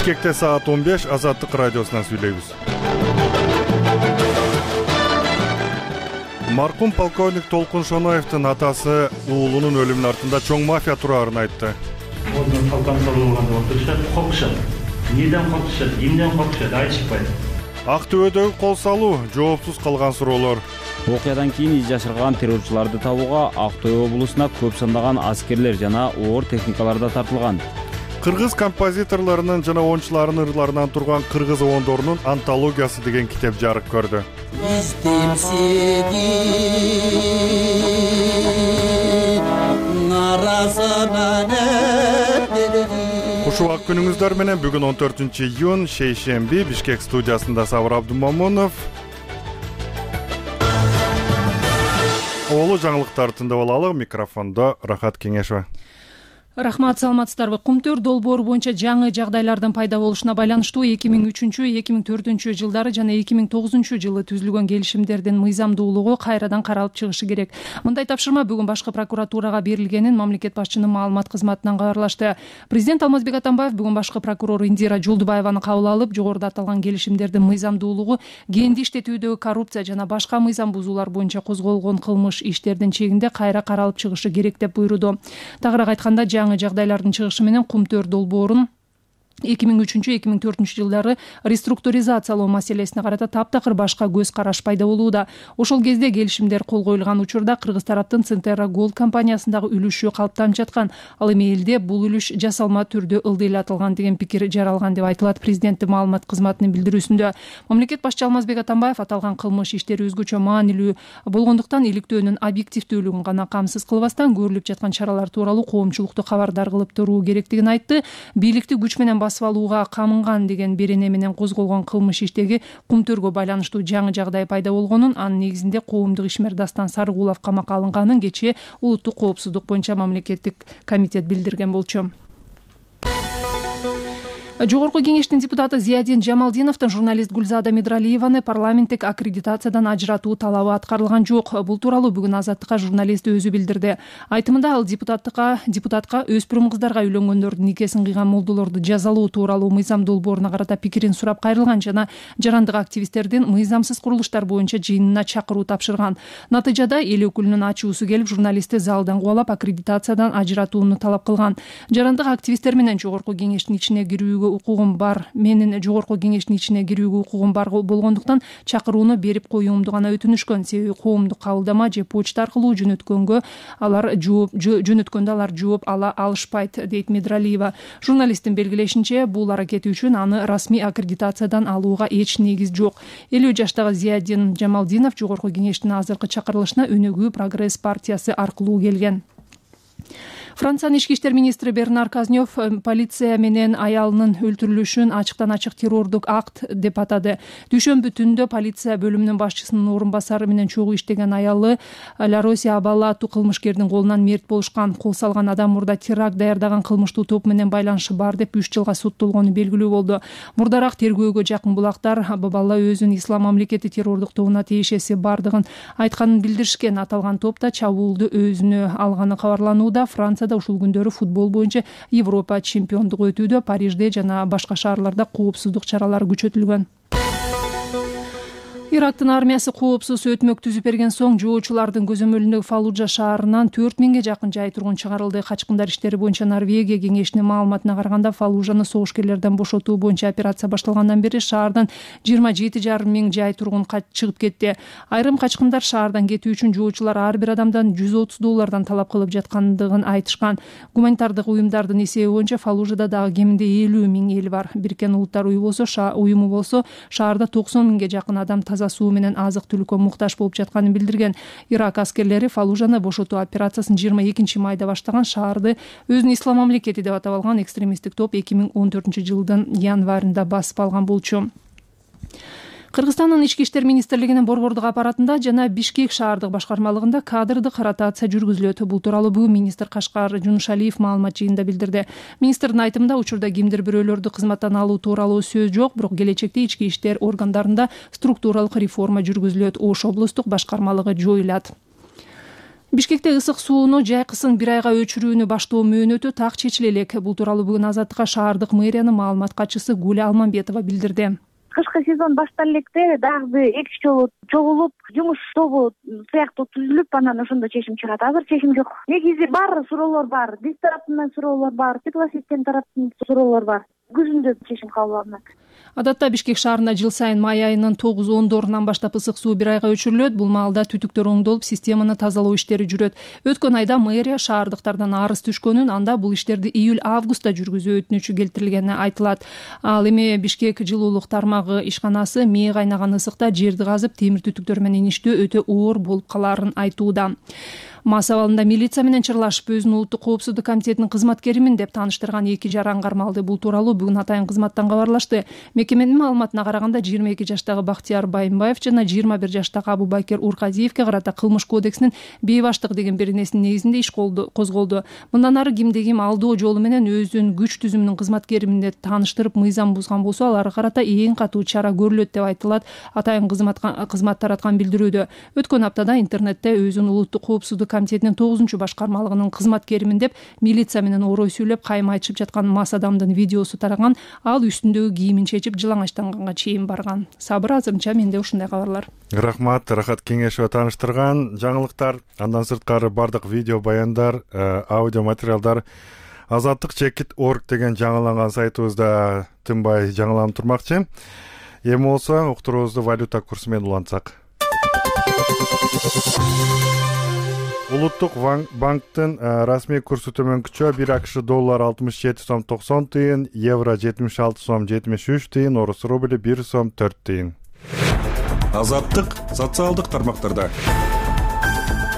Бишкекте саат 15 Азаттык радиосунан сүйлөйбүз. Маркум полковник Толкун Шоноевдин атасы уулунун өлүмүнүн артында чоң мафия тураарын айтты. Ордун калкан салууганда отурушат, коркушат. Эмнеден коркушат, эмнеден коркушат айтышпайт. Актөбөдөгү кол салуу, жоопсуз калган суроолор. Окуядан кийин из жашырган террорчуларды табууга Актөбө облусуна көп сандаган аскерлер жана оор техникалар да тартылган. Кыргыз композиторлорунун жана оюнчуларынын ырларынан турган кыргыз оондорунун антологиясы деген китеп жарык көрдү. Кушубак күнүңүздөр менен бүгүн 14-июнь шейшемби Бишкек студиясында Сабыр Абдумомунов. Олу жаңылыктар тыңдап алалы. Микрофондо Рахат Кеңешова. Рахмат, саламатсыздарбы. Кумтөр долбоору боюнча жаңы жагдайлардын пайда болушуна байланыштуу 2003-2004 жылдары жана 2009 жылы түзүлгөн келишимдердин мыйзамдуулугу кайрадан каралып чыгышы керек. Мындай тапшырма бүгүн башкы прокуратурага берилгенин мамлекет башчынын маалымат кызматынан кабарлашты. Президент Алмазбек Атамбаев бүгүн башкы прокурор Индира Жолдубаеваны кабыл алып, жогоруда аталган келишимдердин мыйзамдуулугу, кенди иштетүүдөгү коррупция жана башка мыйзам бузуулар боюнча козголгон кылмыш иштердин чегинде кайра каралып чыгышы керек деп буйруду. Тагыраак айтканда, жаңы жагдайлардын чыгышы менен Кумтөр долбоорун 2003-2004 жылдары реструктуризациялоо маселесине карата таптакыр башка көз караш пайда болууда. Ошол кезде келишимдер кол коюлган учурда кыргыз тараптын Центерра Голд компаниясындагы үлүшү калыптанып жаткан. Ал эми элде бул үлүш жасалма түрдө ылдыйлатылган деген пикир жаралган деп айтылат президенттин маалымат кызматынын билдирүүсүндө. Мамлекет башчы Алмазбек Атамбаев аталган кылмыш иштери өзгөчө маанилүү болгондуктан иликтөөнүн объективдүүлүгүн гана камсыз кылбастан көрүлүп жаткан чаралар тууралуу коомчулукту кабардар кылып туруу керектигин айтты. Бийликти күч менен басып алууга камынган деген берене менен козголгон кылмыш иштеги Кумтөргө байланыштуу жаңы жагдай пайда болгонун, анын негизинде коомдук ишмер Дастан Сарыгулов камакка алынганын кечээ улуттук коопсуздук боюнча мамлекеттик комитет билдирген болчу. Жогорку кеңештин депутаты Зиядин Жамалдиновдун журналист Гүлзада Медралиеваны парламенттик аккредитациядан ажыратуу талабы аткарылган жок. Бул тууралуу бүгүн Азаттыкка журналист өзү билдирди. Айтымында ал депутатка өспүрүм кыздарга үйлөнгөндөрдүн никесин кыйган молдолорду жазалоо тууралуу мыйзам долбооруна карата пикирин сурап кайрылган жана жарандык активисттердин мыйзамсыз курулуштар боюнча жыйынына чакыруу тапшырган. Натыйжада эл өкүлүнүн ачуусу келип, журналистти залдан кубалап аккредитациядан ажыратууну талап кылган. Жарандык активисттер менен жогорку кеңештин ичине кирүүгө укугум бар. Менин жогорку кеңештин ичине кирүүгө укугум бар болгондуктан чакырууну берип коюумду гана өтүнүшкөн. Себеби коомдук кабылдама же почта аркылуу жөнөткөндө алар жооп ала алышпайт, дейт Медралиева. Журналисттин белгилешинче, бул аракети үчүн аны расмий аккредитациядан алууга эч негиз жок. 50 жаштагы Зиядин Жамалдинов жогорку кеңештин азыркы чакырылышына Өнөгүү Прогресс партиясы аркылуу келген. Франциянын ички иштер министри Бернар Казнёв полиция менен аялынын өлтүрүлүшүн ачыктан-ачык террордук акт деп атады. Дүйшөмбү түндө полиция бөлүмүнүн башчысынын орун басары менен чогуу иштеген аялы Лароси Абала аттуу кылмышкердин колунан мерт болушкан. Кол салган адам мурда теракт даярдаган кылмыштуу топ менен байланышы бар деп 3 жылга соттолгону белгилүү болду. Мурдараак тергөөгө жакын булактар Абала өзүн ислам мамлекети террордук тобуна тиешеси бардыгын айтканын билдиришкен. Аталган топ да чабуулду өзүнө алганы кабарланууда. Францияда ушул күндөрү футбол боюнча Европа чемпиондугу өтүүдө. Парижде жана башка шаарларда коопсуздук чаралары күчөтүлгөн. Ирактын армиясы коопсуз өтмөк түзүп берген соң жоочулардын көзөмөлүндөгү Фаллужа шаарынан 4000ге жакын жай тургун чыгарылды. Качкындар иштери боюнча Норвегия кеңешинин маалыматына караганда, Фаллужаны согушкерлерден бошотуу боюнча операция башталгандан бери шаардан 27,5 миң жай тургун чыгып кетти. Айрым качкындар шаардан кетүү үчүн жоочулар ар бир адамдан $130 талап кылып жаткандыгын айтышкан. Гуманитардык уюмдардын эсеби боюнча Фаллужада дагы кеминде 50 миң эл бар. Бириккен Улуттар уюму болсо шаарда 90 миңге жакын адам таза суу менен азык-түлүккө муктаж болуп жатканын билдирген. Ирак аскерлери Фаллужаны бошотуу операциясын 22 майда баштаган. Шаарды өзүн ислам мамлекети деп атап алган экстремисттик топ 2014 жылдын январында басып алган болчу. Кыргызстандын ички иштер министрлигинин борбордук аппаратында жана Бишкек шаардык башкармалыгында кадрдык ротация жүргүзүлөт. Бул тууралуу бүгүн министр Кашкар Жунушалиев маалымат жыйынында билдирди. Министрдин айтымында, учурда кимдир бирөөлөрдү кызматтан алуу тууралуу сөз жок, бирок келечекте ички иштер органдарында структуралык реформа жүргүзүлөт. Ош облустук башкармалыгы жоюлат. Бишкекте ысык сууну жайкысын 1 айга өчүрүүнү баштоо мөөнөтү так чечиле элек. Бул тууралуу бүгүн Азаттыкка шаардык мэриянын маалымат катчысы Гуля Алмамбетова билдирди. Кышкы сезон башталып электе дагы 2 жолу чогулуп, жумуш тобу сыяктуу түзүлүп, анан ошондо чечим чыгат. Азыр чечим жок. Негизи бар суроолор бар. Биз тараптан суроолор бар, теплосистем тараптан суроолор бар. Күзүндө чечим кабыл алынат. Адатта Бишкек шаарында жыл сайын май айынын 9-10 баштап ысык суу 1 айга өчүрүлөт. Бул маалда түтүктөр оңдолуп, системаны тазалоо иштери жүрөт. Өткөн айда мэрия шаардыктардан арыз түшкөнүн, анда бул иштерди июль-августта жүргүзүү өтүнүчү келтирилгени айтылат. Ал эми Бишкек жылуулук тармагы ишканасы мээ кайнаган ысыкта жерди казып, темир түтүктөр менен иштөө өтө оор болуп калаарын айтууда. Мас абалында милиция менен чырлашып, өзүн улуттук коопсуздук комитетинин кызматкеримин деп тааныштырган 2 жар аңгармалды. Бул тууралуу бүгүн атайын кызматтан кабарлашты. Мекеменин маалыматына караганда 22 жаштагы Бактияр Байымбаев жана 21 жаштагы Абубакир Урказиевке карата кылмыш кодексинин бейбаштык деген беренесинин негизинде иш козголду. Мындан ары кимди ким алдоо жолу менен өзүн күч түзүмүнүн кызматкеримин деп тааныштырып, мыйзам бузган болсо, аларга карата эң катуу чара көрүлөт деп айтылат атайын кызмат тараткан билдирүүдө. Өткөн аптада интернетте өзүн улуттук коопсуздук комитетинин 9-башкармалыгынын кызматкеримин деп милиция менен орой сүйлөп, кайма айтышып жаткан мас адамдын видеосу тараган. Ал үстүндөгү кийимин чечип, жылаңачтанганга чейин барган. Сабыр, азырынча менде ушундай кабарлар. Рахмат, Рахат Кеңешова тааныштырган жаңылыктар. Андан сырткары бардык видео баяндар, аудио материалдар azattik.org деген жаңыланган сайтыбызда тынбай жаңыланып турмакчы. Эми болсо уктуруубузду валюта курсу менен улантсак. Улуттук банктын расмий курсу төмөнкүчө 1 АКШ доллар 67 сом 90 тыйын, евро 76 сом 73 тыйын, орус рубли 1 сом 4 тыйын. Азаттык социалдык тармактарда.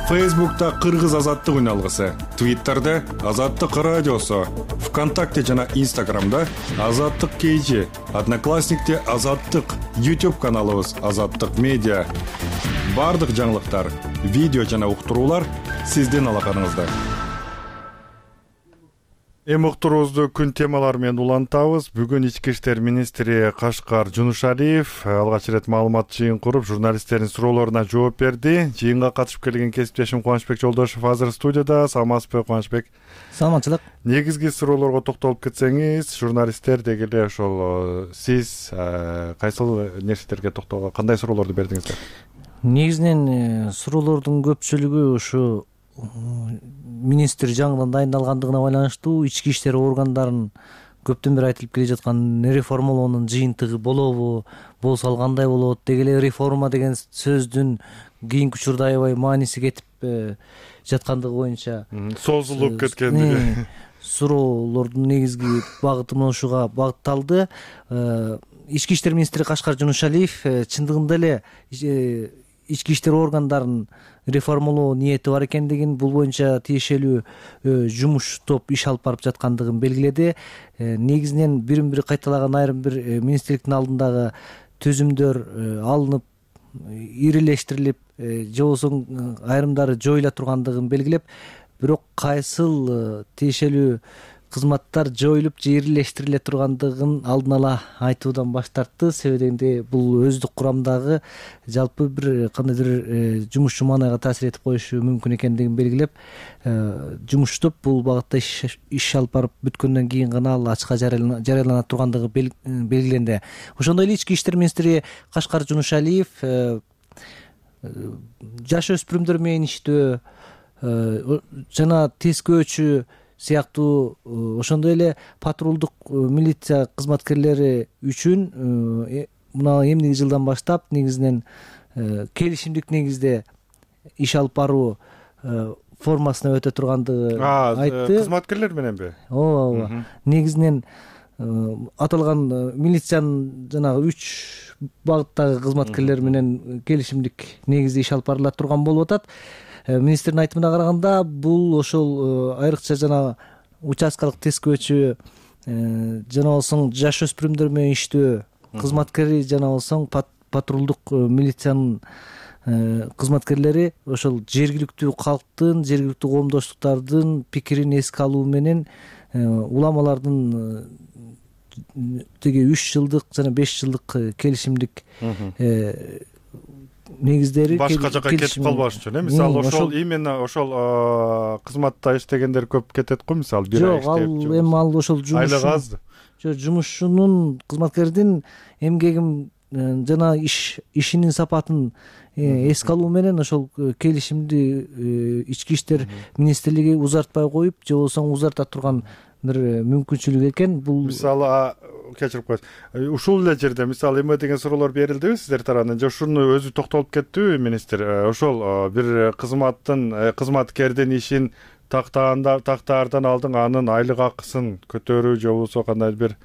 Фейсбукта Кыргыз азаттык үналгысы, Твиттерде Азаттык радиосу, ВКонтакте жана Инстаграмда Азаттык KG, Одноклассникте Азаттык, YouTube каналыбыз Азаттык медиа. Бардык жаңылыктар, видео жана уктуруулар сиздин алаканыңызда. Эми уктуруубузду күн темалары менен улантабыз. Бүгүн Ички иштер министри Кашкар Жунушалиев алгач ирет маалымат жыйын куруп, журналисттердин суроолоруна жооп берди. Жыйынга катышып келген кесиптешим Кубанычбек Жолдошев азыр студияда. Саламатсызбы, Кубанычбек? Саламатчылык. Негизги суроолорго токтолуп кетсеңиз, журналисттер деги эле ошол сиз кайсыл нерселерге токтолго, кандай суроолорду бердиңиздер? Негизинен суроолордун көпчүлүгү ушу министр жаңыдан дайындалгандыгына байланыштуу, ички иштер органдарын көптөн бери айтылып келе жаткан реформалоонун жыйынтыгы болобу, болсо ал кандай болот, деги эле реформа деген сөздүн кийинки учурда аябай мааниси кетип жаткандыгы боюнча созулуп кеткендиги суроолордун негизги багыты ушуга багытталды. Ички иштер министри Кашкар Жунушалиев чындыгында эле ички иштер органдарын реформалоо ниети бар экендигин, бул боюнча тиешелүү жумуш топ иш алып барып жаткандыгын белгиледи. Негизинен бирин-бири кайталаган айрым бир министрликтин алдындагы түзүмдөр алынып, ирилештирилип, же болбосо айрымдары жоюла тургандыгын белгилеп, бирок кайсыл тиешелүү кызматтар жоюлуп же ирилештириле тургандыгын алдын ала айтуудан баш тартты. Себеби дегенде бул өздүк курамдагы жалпы бир кандайдыр жумушчу маанайга таасир этип коюшу мүмкүн экендигин белгилеп, жумуш топ бул багытта иш алып барып бүткөндөн кийин гана ал ачыкка жарыялана тургандыгы белгиленди. Ошондой эле ички иштер министри Кашкар Жунушалиев жаш өспүрүмдөр менен иштөө жана тескөөчү сыяктуу ошондой эле патрулдук милиция кызматкерлери үчүн мына эмдиги жылдан баштап негизинен келишимдик негизде иш алып баруу формасына өтө тургандыгы айтты. Кызматкерлер мененби? Ооба. Негизинен аталган милициянын жанагы 3 багыттагы кызматкерлер менен келишимдик негизде иш алып барыла турган болуп атат. Министрдин айтымына караганда, бул ошол айрыкча жана участкалык тескөөчү жана болсоң жаш өспүрүмдөр менен иштөө кызматкери жана болсоң патрулдук милициянын кызматкерлери ошол жергиликтүү калктын, жергиликтүү коомдоштуктардын пикирин эске алуу менен уламалардын теги 3 жылдык жана 5 жылдык келишимдик негиздери башка жака кетип калбаш үчүн мисалы ошол именно ошол кызматта иштегендер көп кетет го мисалы бир ай иштеп. Жок, ал эми ал ошол айлык аз. Жок, жумушчунун кызматкердин эмгегин жана ишинин сапатын эске алуу менен ошол келишимди ички иштер министрлиги узартпай коюп же болбосо узарта турган бир мүмкүнчүлүк экен. Бул мисалы кечирип коесуз, ушул эле жерде мисалы эме деген суроолор берилдиби сиздер тарабынан же ушуну өзү токтолуп кеттиби министр? Ошол бир кызматкердин ишин тактаардан алдын анын айлык акысын көтөрүү же болбосо кандай бир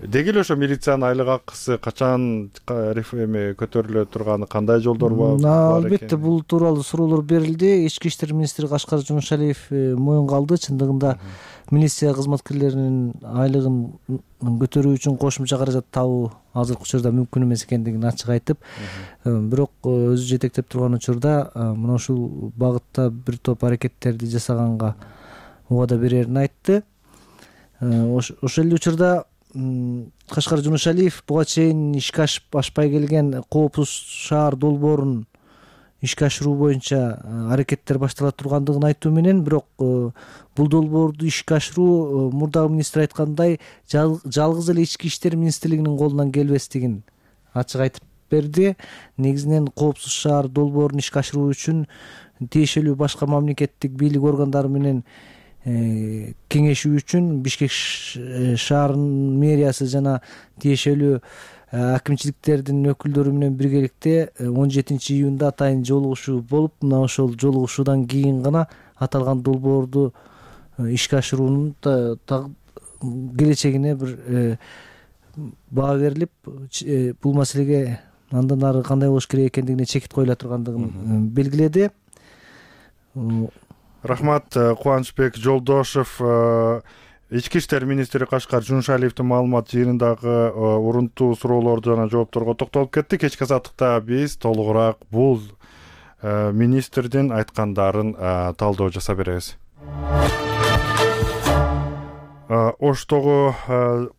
деги эле ошо милициянын айлык акысы качан көтөрүлө турганы, кандай жолдор бар экен? Албетте бул тууралуу суроолор берилди. Ички иштер министри Кашкар Жумушалиев моюнга алды. Чындыгында милиция кызматкерлеринин айлыгын көтөрүү үчүн кошумча каражат табуу азыркы учурда мүмкүн эмес экендигин ачык айтып, бирок өзү жетектеп турган учурда мына ушул багытта бир топ аракеттерди жасаганга убада берерин айтты. Ошол эле учурда Кашкар Жумушалиев буга чейин ишке ашпай келген коопсуз шаар долбоорун ишке ашыруу боюнча аракеттер баштала тургандыгын айтуу менен, бирок бул долбоорду ишке ашыруу мурдагы министр айткандай жалгыз эле ички иштер министрлигинин колунан келбестигин ачык айтып берди. Негизинен коопсуз шаар долбоорун ишке ашыруу үчүн тиешелүү башка мамлекеттик бийлик органдары менен кеңешүү үчүн Бишкек шаарынын мэриясы жана тиешелүү акимчиликтердин өкүлдөрү менен биргеликте 17-июнда атайын жолугушуу болуп, мына ошол жолугушуудан кийин гана аталган долбоорду ишке ашыруунун келечегине бир баа берилип, бул маселеге андан ары кандай болуш керек экендигине чекит коюла тургандыгын белгиледи. Рахмат. Кубанычбек Жолдошев, ички иштер министри Кашкар Жумушалиевдин маалымат жыйынындагы урунтуу суроолорду жана жоопторго токтолуп кетти. Кечки азаттыкта биз толугураак бул министрдин айткандарын талдоо жасап беребиз. Оштогу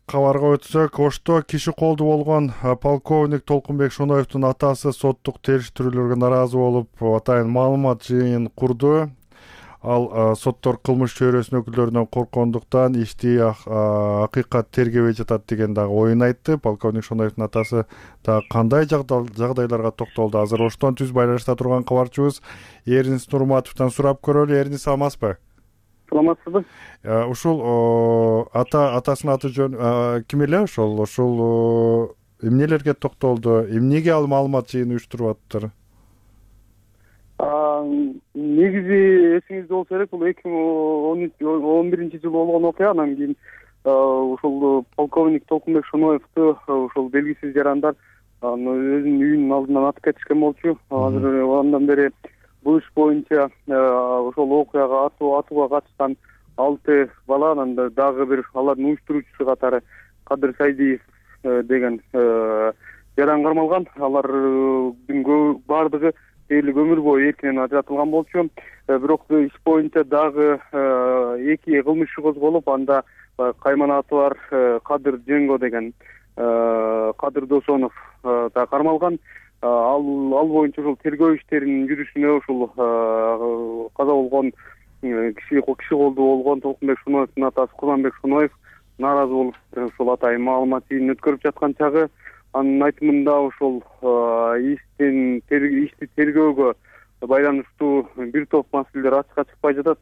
кабарга өтсөк, Ошто киши колду болгон полковник Толкунбек Шоноевдун атасы соттук териштирүүлөргө наразы болуп, атайын маалымат жыйын курду. Ал соттор кылмыш чөйрөсүнүн өкүлдөрүнөн корккондуктан ишти акыйкат тергебей жатат деген дагы оюн айтты. Полковник Шоноевдун атасы дагы кандай жагдайларга токтолду? Азыр Оштон түз байланышта турган кабарчыбыз Эрнис Нурматовдон сурап көрөлү. Эрнис, саламатсызбы? Саламатсызбы? Ушул атасынын аты жөнү ким эле? Ошол эмнелерге токтолду? Эмнеге ал маалымат жыйын уюштуруп атыптыр? Негизи эсиңизде болсо керек, бул 2011-жылы болгон окуя. Анан кийин ошол полковник Толкунбек Шоноевду ошол белгисиз жарандар өзүнүн үйүнүн алдынан атып кетишкен болчу. Азыр андан бери бул иш боюнча ошол окуяга атууга катышкан 6 бала, анан дагы бир алардын уюштуруучусу катары Кадыр Сайдиев деген жаран кармалган. Алардын баардыгы дээрлик өмүр бою эркинен ажыратылган болчу. Бирок иш боюнча дагы 2 кылмыш иши козголуп, анда кайман аты бар Кадыр Женго деген Кадыр Досонов да кармалган. Ал боюнча ушул тергөө иштеринин жүрүшүнө ушул каза болгон киши колду болгон Толкунбек Шоноевдун атасы Курманбек Шоноев нааразы болуп, ушул атайын маалымат жыйынын өткөрүп жаткан чагы анын айтымында ошол ишти тергөөгө байланыштуу бир топ маселелер ачыкка чыкпай жатат.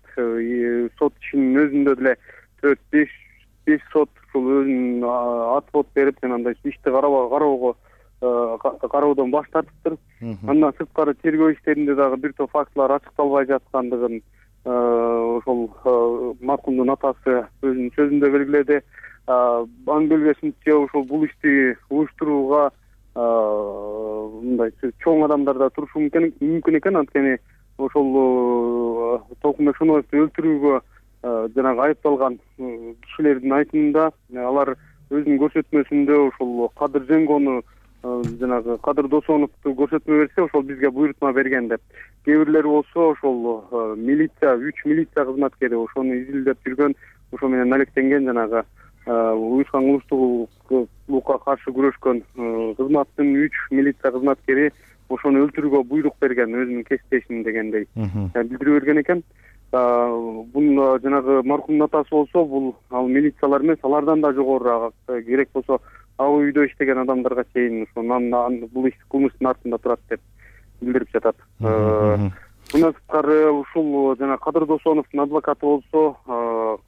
Сот ишинин өзүндө деле 4-5 сот ушул өзүнүн отвод берип, жанагындай ишти кароодон баш тартыптыр. Андан сырткары тергөө иштеринде дагы бир топ фактылар ачыкталбай жаткандыгын ошол маркумдун атасы өзүнүн сөзүндө белгиледи. Анын белгисинче ошол бул ишти уюштурууга мындай чоң адамдар да турушу мүмкүн экен. Анткени ошол Толкунбек Шоноевду өлтүрүүгө жанагы айыпталган кишилердин айтымында алар өзүнүн көрсөтмөсүндө ошол Кадыр Женгону жанагы Кадыр Досоновду көрсөтмө берсе, ошол бизге буйрутма берген деп. Кээ бирлери болсо ошол милиция 3 милиция кызматкери ошону изилдеп жүргөн, ошо менен алектенген жанагы уюшкан кылмыштуулукка каршы күрөшкөн кызматтын 3 милиция кызматкери ошону өлтүрүүгө буйрук берген өзүнүн кесиптешим дегендей билдирип берген экен. Бул жанагы маркумдун атасы болсо бул ал милициялар эмес, алардан да жогорураак, керек болсо ал үйдө иштеген адамдарга чейин бул иш кылмыштын артында турат деп билдирип жатат. Мындан сырткары ушул жана Кадыр Досоновдун адвокаты болсо,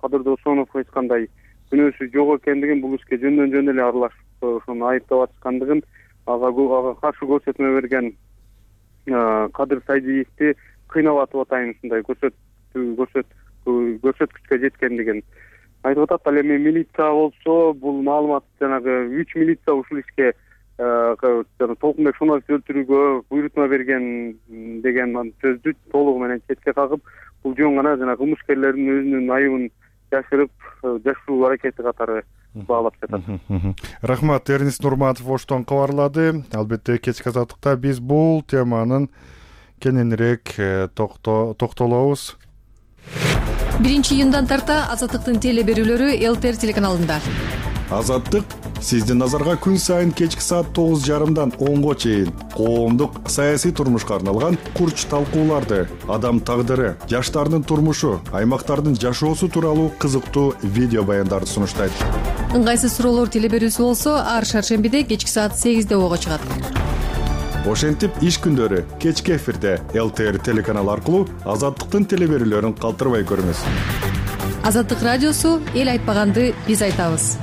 Кадыр Досонов эч кандай күнөөсү жок экендигин, бул ишке жөндөн эле аралашып ошону айыптап аткандыгын, ага каршы көрсөтмө берген Кадыр Сайдиевди кыйнап атайын ушундай көрсөткүчкө жеткендигин айтып атат. Ал эми милиция болсо бул маалымат жанагы 3 милиция ушул ишке Толкунбек Шоновду өлтүрүүгө буйрутма берген деген сөздү толугу менен четке кагып, бул жөн гана жана кылмышкерлердин өзүнүн айыбын жашыруу аракети катары баалап жатат. Рахмат, Эрнис Нурматов Оштон кабарлады. Албетте кечки азаттыкта биз бул теманын кененирээк токтолобуз. 1-июндан тарта Азаттыктын теле берүүлөрү ЛТР телеканалында. Азаттык сиздин назарга күн сайын кечки саат 9:30дан 10го чейин коомдук саясий турмушка арналган курч талкууларды, адам тагдыры, жаштардын турмушу, аймактардын жашоосу тууралуу кызыктуу видео баяндарды сунуштайт. Ыңгайсыз суроолор теле берүүсү болсо ар шаршембиде кечки саат 8де ого чыгат. Ошентип иш күндөрү кечки эфирде ЛТР телеканалы аркылуу Азаттыктын теле берүүлөрүн калтырбай көрүңүз. Азаттык радиосу эл айтпаганды биз айтабыз.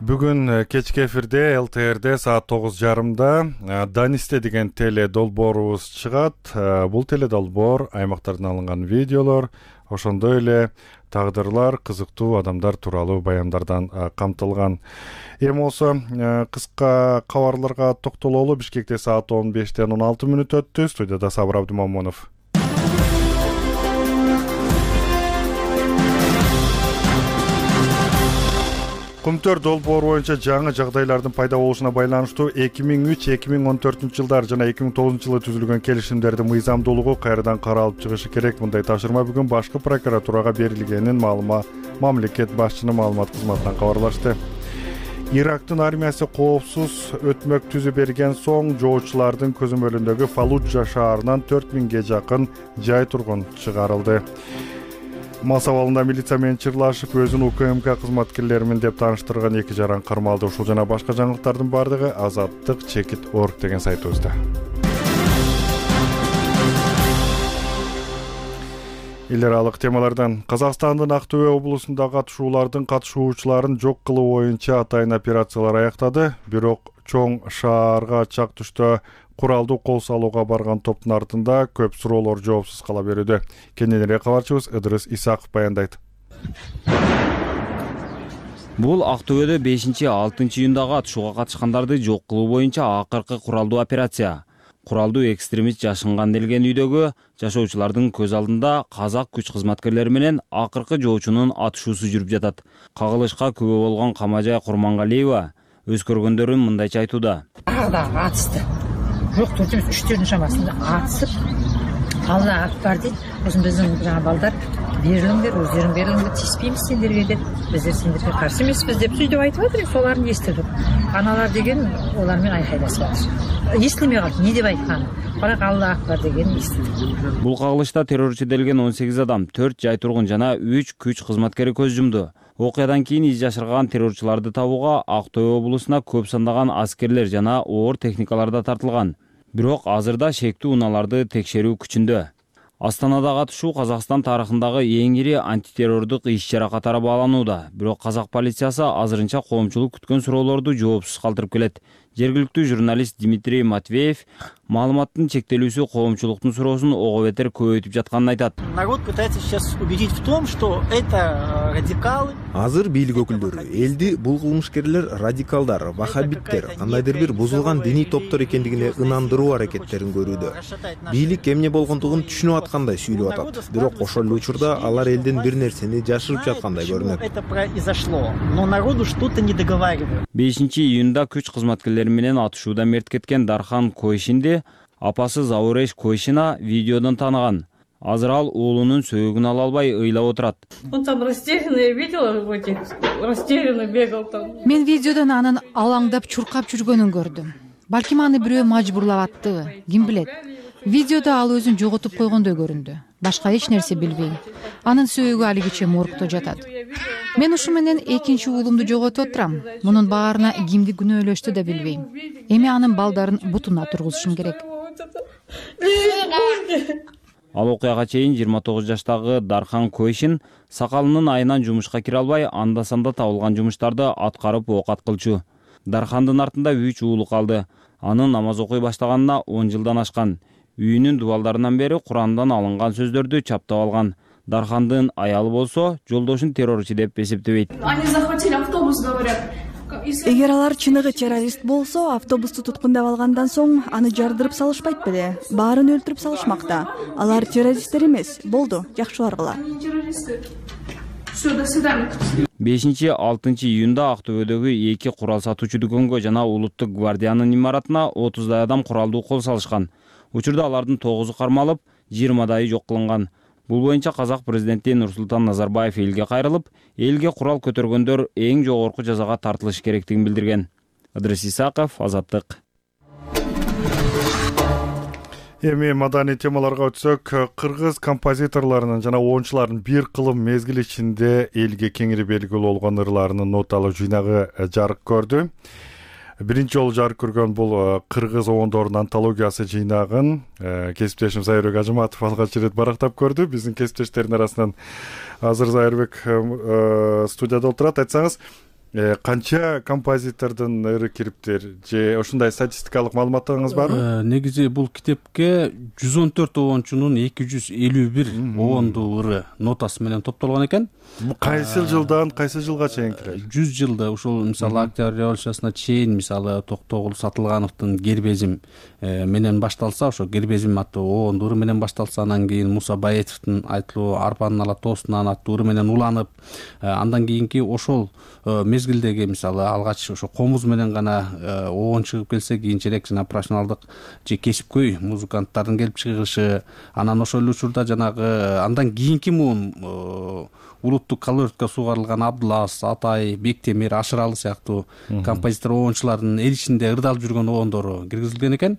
Бүгүн кечки эфирде ЛТРде саат 9:30 Данисте деген теле долбоорубуз чыгат. Бул теле долбоор аймактардан алынган видеолор, ошондой эле тагдырлар, кызыктуу адамдар тууралуу баяндардан камтылган. Эми болсо кыска кабарларга токтололу. Бишкекте саат 15ден 16 мүнөт өттү. Студияда Сабыр Абдымамонов. Кумтөр долбоору боюнча жаңы жагдайлардын пайда болушуна байланыштуу 2003-2014 жылдар жана 2009 жылы түзүлгөн келишимдердин мыйзамдуулугу кайрадан каралып чыгышы керек. Мындай тапшырма бүгүн башкы прокуратурага берилгенин мамлекет башчынын маалымат кызматынан кабарлашты. Ирактын армиясы коопсуз өтмөк түзүп берген соң жоочулардын көзөмөлүндөгү Фаллуджа шаарынан 4000ге жакын жай тургун чыгарылды. Мас абалында милиция менен чырлашып, өзүн УКМК кызматкерлеримин деп тааныштырган 2 жаран кармалды. Ушул жана башка жаңылыктардын бардыгы azattik.org деген сайтыбызда. Эл аралык темалардан Казакстандын Актөбө облусундагы катышуучуларын жок кылуу боюнча атайын операциялар аяктады. Бирок чоң шаарга чак түштө куралдуу кол салууга барган топтун артында көп суроолор жоопсуз кала берүүдө. Кененирээк кабарчыбыз Ыдырыс Исаков баяндайт. Бул Актөбөдө 5-6 июндагы атышууга катышкандарды жок кылуу боюнча акыркы куралдуу операция. Куралдуу экстремист жашынган делген үйдөгү жашоочулардын көз алдында казак күч кызматкерлери менен акыркы жоочунун атышуусу жүрүп жатат. Кагылышка күбө болгон Камажай Курмангалиева өз көргөндөрүн мындайча айтууда. Атысты. Жок төртүмүз 3-төрдүн шамасында атысып, Алла акбар дейт. Ошон биздин жаңа балдар берилиңдер, өздөрүң берилиңдер, тийиспейбиз сендерге деп, биздер сендерге каршы эмеспиз деп сөйдөп айтып атыр. Соларын эстирдик. Аналар деген олар менен айкайлашып атыр. Эстемей калды, эмне деп айтканын. Бирок Алла акбар деген эстидик. Бул кагылышта террорчу делген 18 адам, 4 жай тургун жана 3 күч кызматкери көз жумду. Окуядан кийин из жашырган террорчуларды табууга Актөбө облусуна көп сандаган аскерлер жана оор техникалар да тартылган. Бирок азырда шектүү унааларды текшерүү күчүндө. Астанадагы атышуу Казакстан тарыхындагы эң ири антитеррордук иш-чара катары бааланууда. Бирок казак полициясы азырынча коомчулук күткөн суроолорду жоопсуз калтырып келет. Жергиликтүү журналист Дмитрий Матвеев маалыматтын чектелүүсү коомчулуктун суроосун ого бетер көбөйтүп жатканын айтат. Народ пытается сейчас убедить в том, что это радикалы. Азыр бийлик өкүлдөрү элди бул кылмышкерлер радикалдар, вахабиттер, кандайдыр бир бузулган диний топтор экендигине ынандыруу аракеттерин көрүүдө. Бийлик эмне болгондугун түшүнүп аткандай сүйлөп атат. Бирок ошол эле учурда алар элден бир нерсени жашырып жаткандай көрүнөт. Это произошло, но народу что-то не договаривают. 5-июнда күч кызматкерлери менен атышууда мерт кеткен Дархан Койшинди апасы Зауреш Койшина видеодон тааныган. Азыр ал уулунун сөөгүн ала албай ыйлап отурат. Он там растерянный, видела растерянный бегал там. Мен видеодон анын алаңдап чуркап жүргөнүн көрдүм. балким аны бирөө мажбурлап аттыбы, ким билет. Видеодо ал өзүн жоготуп койгондой көрүндү. Башка эч нерсе билбейм. Анын сөөгү алигиче моргто жатат. Мен ушу менен экинчи уулумду жоготуп отурам. Мунун баарына кимди күнөөлөштү да билбейм. Эми анын балдарын бутуна тургузушум керек. Ал окуяга чейин 29 жаштагы Дархан Койшин сакалынын айынан жумушка кире албай, анда-санда табылган жумуштарды аткарып оокат кылчу. Дархандын артында 3 уулу калды. Анын намаз окуй баштаганына 10 жылдан ашкан. Үйүнүн дубалдарынан бери Курандан алынган сөздөрдү чаптап алган. Дархандын аялы болсо жолдошун террорчу деп эсептебейт. Они захватили автобус, говорят. Эгер алар чыныгы террорист болсо, автобусту туткундап алгандан соң аны жардырып салышпайт беле? Баарын өлтүрүп салышмакта. Алар террористтер эмес. Болду, жакшы баргыла. 5-6 июнда Актөбөдөгү 2 курал сатуучу дүкөнгө жана Улуттук гвардиянын имаратына 30дай адам куралдуу кол салышкан. Учурда алардын 9-у кармалып, 20дайы жок кылынган. Бул боюнча казак президенти Нурсултан Назарбаев элге кайрылып, элге курал көтөргөндөр эң жогорку жазага тартылыш керектигин билдирген. Ыдрис Исаков, Азаттык. Эми маданий темаларга өтсөк, кыргыз композиторлорунун жана оончулардын бир кылым мезгил ичинде элге кеңири белгилүү болгон ырларынын ноталуу жыйнагы жарык көрдү. Биринчи жолу жарык көргөн бул кыргыз оондорунун антологиясы жыйнагын кесиптешим Зайырбек Ажыматов алгач ирет барактап көрдү. Биздин кесиптештердин арасынан азыр Зайырбек студияда отурат. Айтсаңыз, канча композитордун ыры кириптир же ушундай статистикалык маалыматтарыңыз барбы? Негизи бул китепке 114 оончунун 251 оондуу ыры нотасы менен топтолгон экен. Кайсы жылдан кайсы жылга чейин кирет? 100 жылда ушул мисалы Октябрь революциясына чейин мисалы Токтогул Сатылгановдун Гербезим менен башталса, ошо Гербезим аттуу оондуу ыры менен башталса, анан кийин Муса Баетовдун айтылуу Арпанын ала тоосунан аттуу ыры менен уланып, андан кийинки ошол мезгилдеги мисалы алгач ошо комуз менен гана оон чыгып келсе, кийинчерээк жана профессионалдык же кесипкөй музыканттардын келип чыгышы, анан ошол учурда жанагы андан кийинки муун улуттук колоритке сугарылган Абдулас, Атай, Бектемир, Ашыралы сыяктуу композитор оончулардын эл ичинде ырдалып жүргөн оондору киргизилген экен.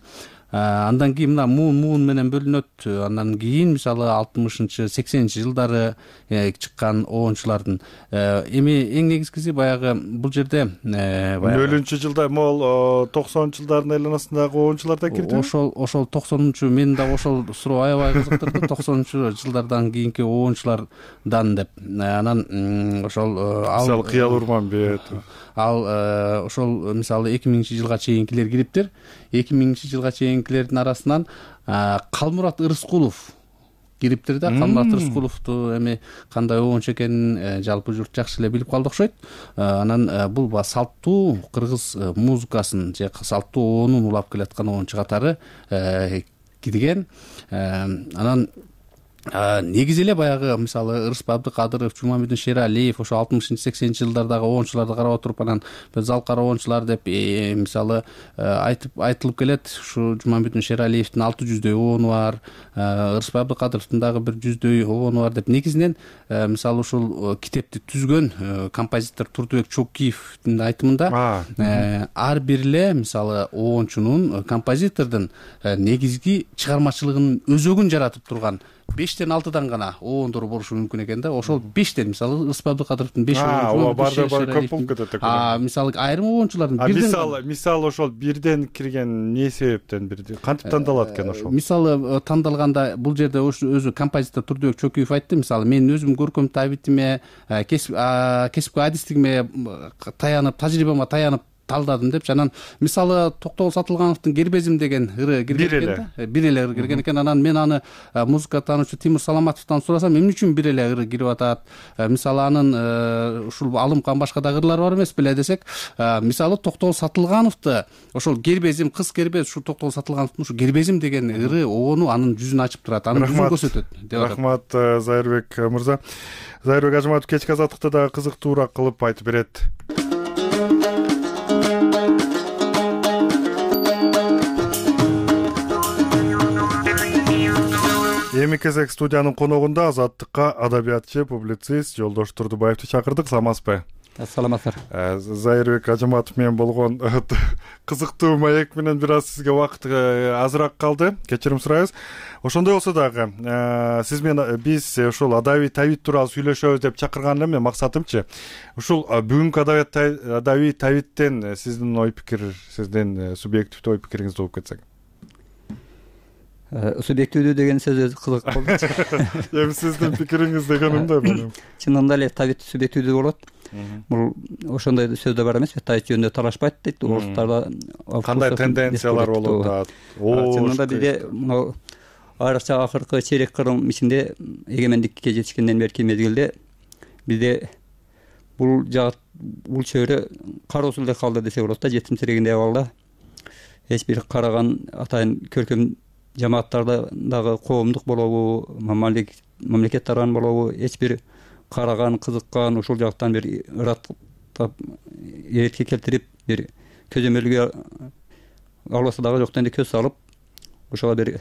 Андан кийин мына муун менен бөлүнөт. Андан кийин мисалы 60-80 жылдары чыккан оончулардын эми эң негизгиси баягы бул жерде өлүнчү жылда могул 90 жылдардын айланасындагы оончулар да кирди. Ошол 90-чу мен да ошол суроо аябай кызыктырды. 90-чу жылдардан кийинки оончулардан деп. Анан ошол мисалы Кыял Урманбет, ал ошол мисалы 2000-жылга чейинкилер кириптир. 2000-жылга чейинкилердин арасынан Калмурат Ырыскулов кириптир да. Калмурат Ырыскуловду эми кандай оончу экенин жалпы журт жакшы эле билип калды окшойт. Анан бул салттуу кыргыз музыкасын же салттуу оонун улап келаткан оончу катары кирген. Анан негизи эле баягы мисалы Ырысбай Абдыкадыров, Жумамедин Шералиев ошо 60-80 жылдардагы оончуларды карап отуруп, анан залкар оончулар деп мисалы айтылып келет. Ушу Жумамедин Шералиевдин 600дөй оону бар, Ырысбай Абдыкадыровдун дагы 100дөй оону бар деп. Негизинен мисалы ушул китепти түзгөн композитор Турдубек Чокиевдин айтымында ар бир эле мисалы оончунун, композитордун негизги чыгармачылыгынын өзөгүн жаратып турган 5-6 гана оондор болушу мүмкүн экен да. Ошол 5 мисалы Ырысбай Абдыкадыровдун 5 оону бар көп болуп кетет экен. Мисалы айрым оончулардын мисалы ошол бирден кирген не себептен бирди кантип тандалат экен ошол? Мисалы тандалганда бул жерде өзү композитор Турдубек Чокиев айтты. Мисалы мен өзүм көркөм табитиме, кесипкөй адистигиме таянып, тажрыйбама таянып талдадым деп. Анан мисалы Токтогул Сатылгановдун Гербезим деген ыры кирген экен да. Бир эле ыры кирген экен. Анан мен аны музыка таануучу Тимур Саламатовдон сурасам, эмне үчүн бир эле ыры кирип атат? Мисалы анын ушул алымкан башка да ырлары бар эмес беле десек, мисалы Токтогул Сатылгановду ошол Гербезим, кыз Гербез, ушу Токтогул Сатылгановдун ушу Гербезим деген ыры оону анын жүзүн ачып турат, анын жүзүн көрсөтөт деп атат. Рахмат Зайырбек мырза. Зайырбек Ажыматов кечки азаттыкты дагы кызыктуураак кылып айтып берет. Эми кезек студиянын коногунда азаттыкка адабиятчы, публицист Жолдош Турдубаевди чакырдык. Саламатсызбы? саламатсыздар. Зайырбек Ажаматов менен болгон кызыктуу маек менен бир аз сизге убакыт азыраак калды, кечирим сурайбыз. Ошондой болсо дагы сиз менен биз ушул адабий табит тууралуу сүйлөшөбүз деп чакырган элем. Максатымчы ушул бүгүнкү адабий табиттен сиздин ой пикир, сиздин субъективдүү ой пикириңизди угуп кетсек. Субъективдүү деген сөз өзү кызык болду. Эми сиздин пикириңиз дегенimде менин. Чынында эле табит субъективдүү болот. Бул ошондой сөз да бар эмеспи? Табит жөнүндө талашпайт дейт. Орустарда кандай тенденциялар болуп атат? Чынында бизде мына айрыкча акыркы чейрек кырым ичинде эгемендикке жетишкенден берки мезгилде бизде бул чөйрө кароосуз эле калды десе болот да, жетимсирегендей абалда. Эч бир караган атайын көркөм жамааттарда дагы коомдук болобу, мамлекет тарабынан болобу, эч бир караган, кызыккан, ушул жактан бир ыраттап эретке келтирип, бир көзөмөлгө албаса дагы жок дегенде көз салып, ошого бир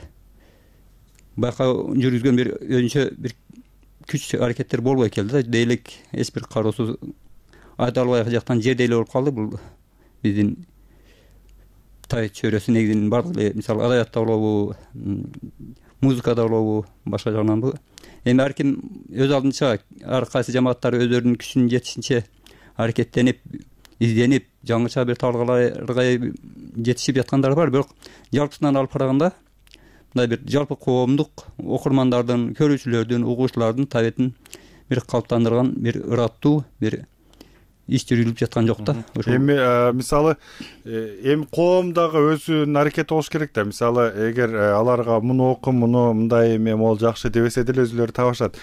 байкоо жүргүзгөн бир өзүнчө бир күч аракеттер болбой келди да. Дейлик эч бир кароосуз айта албай жактан жерде эле болуп калды. Бул биздин табит чөйрөсү негизинен баардык эле, мисалы адабиятта болобу, музыкада болобу, башка жагынан бул. Эми ар ким өз алдынча, ар кайсы жамааттар өздөрүнүн күчүнүн жетишинче аракеттенип, изденип, жаңыча бир талгаларга жетишип жаткандар бар. Бирок жалпысынан алып караганда мындай бир жалпы коомдук окурмандардын, көрүүчүлөрдүн, угуучулардын табитин бир калыптандырган бир ыраттуу бир иш жүрүлүп жаткан жок да. Эми мисалы эми коом дагы өзүнүн аракети болуш керек да. Мисалы эгер аларга муну окум, муну мындай эме могул жакшы дебесе деле өзүлөрү табышат.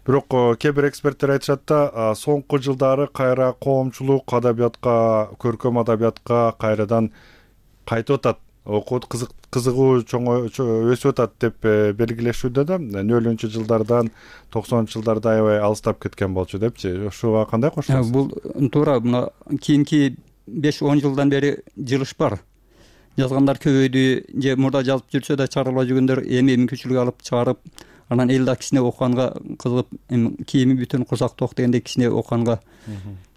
Бирок кээ бир эксперттер айтышат да, соңку жылдары кайра коомчулук адабиятка, көркөм адабиятка кайрадан кайтып атат. Окуут кызыгуу өсүп атат деп белгилешүүдө да. 00-жылдардан 90-жылдарда аябай алыстап кеткен болчу депчи. Ушуга кандай коштойсуз? Бул туура. Мына кийинки 5-10 жылдан бери жылыш бар. Жазгандар көбөйдү, же мурда жазып жүрсө да чыгарылбай жүргөндөр эми мүмкүнчүлүк алып чыгарып, анан эл да кичине окуганга кызыгып, кийими бүтүн курсак ток дегендей кичине окуганга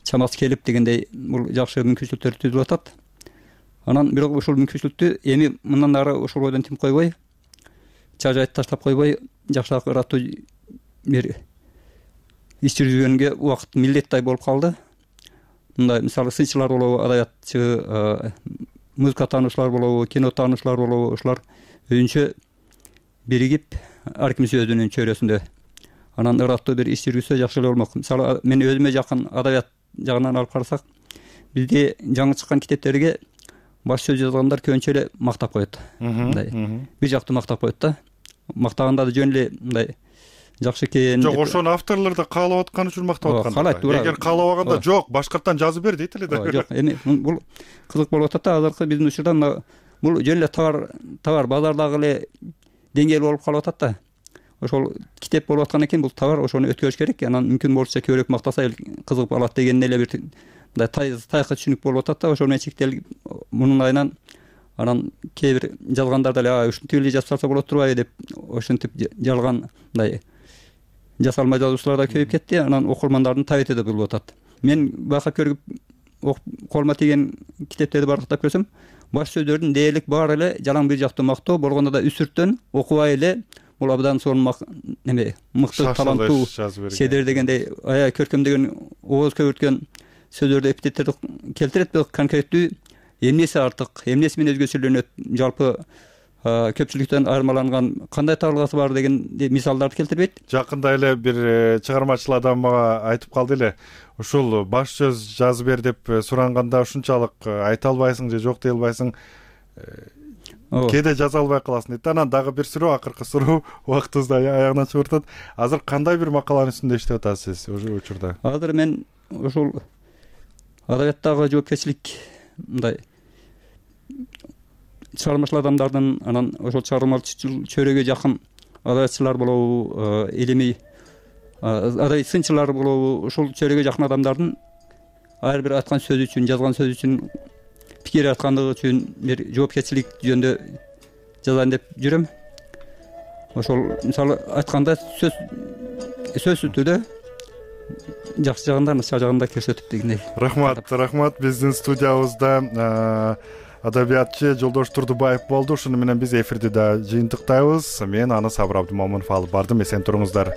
чамасы келип дегендей бул жакшы мүмкүнчүлүктөр түзүлүп атат. Анан бирок ушул мүмкүнчүлүктү эми мындан ары ушул бойдон тим койбой, чажайт таштап койбой, жакшыраак ыраттуу бир иш жүргүзгөнгө убакыт милдеттай болуп калды. Мындай мисалы сынчылар болобу, адабиятчы, музыка таануучулар болобу, кино таануучулар болобу, ушулар өзүнчө биригип, ар ким өзүнүн чөйрөсүндө анан ыраттуу бир иш жүргүзсө жакшы эле болмок. Мисалы мен өзүмө жакын адабият жагынан алып карасак, бизде жаңы чыккан китептерге баш сөз жазгандар көбүнчө эле мактап коет. Мындай бир жактуу мактап коет да. Мактаганда да жөн эле мындай жакшы экен. Жок, ошону авторлор да каалап аткан үчүн мактап аткан. Каалайт, туура. Эгер каалабаганда жок, башкарттан жазып бер дейт эле да. Жок, эми бул кызык болуп атат да. Азыркы биздин учурда бул жөн эле товар базардагы эле деңгээл болуп калып атат да. Ошол китеп болуп аткан экен, бул товар, ошону өткөрүш керек. Анан мүмкүн болушунча көбүрөөк мактаса эл кызыгып алат деген эле бир мындай тайкы түшүнүк болуп атат да. Ошону чектелип мунун айынан анан кээ бир жазгандар деле ушинтип эле жазып салса болот турбайбы деп ошентип жалган мындай жасалмай жазуучулар да көбөйүп кетти. Анан окурмандардын табити да булуп атат. Мен байкап көрүп колума тиген китептерди барктап көрсөм, баш сөздөрдүн дээрлик баары эле жалаң бир жактуу мактоо, болгондо да үсүрттөн окубай эле бул абдан сонун неме мыкты таланттуу седер дегендей аябай көркөмдөгөн, ооз көбүрткөн сөздөрдө эпитеттерди келтирет, бирок конкреттүү эмнеси артык, эмнеси менен өзгөчөлөнөт, жалпы көпчүлүктөн айырмаланган кандай табылгасы бар деген мисалдарды келтирбейт. Жакында эле бир чыгармачыл адам мага айтып калды эле, ушул баш сөз жазып бер деп суранганда ушунчалык айта албайсың же жок дей албайсың, кээде жаза албай каласың дейт. Анан дагы бир суроо, акыркы суроо, убактыбызды аягына чыгып атат. Азыр кандай бир макаланын үстүндө иштеп атасыз ошол учурда? Азыр мен ушул адабияттагы жоопкерчилик мындай чыгармачыл адамдардын, анан ошол чыгармачыл чөйрөгө жакын адабиятчылар болобу, илимий адабий сынчылар болобу, ушул чөйрөгө жакын адамдардын ар бир айткан сөзү үчүн, жазган сөзү үчүн, пикир айткандыгы үчүн бир жоопкерчилик жөнүндө жазайын деп жүрөм. Ошол мисалы айтканда сөзсүз түрдө жакшы жагында начар жагында көрсөтүп дегендей. Рахмат. Биздин студиябызда адабиятчы Жолдош Турдубаев болду. Ушуну менен биз эфирди да жыйынтыктайбыз. Мен Сабыр Абдымомунов алып бардым. Эсен туруңуздар.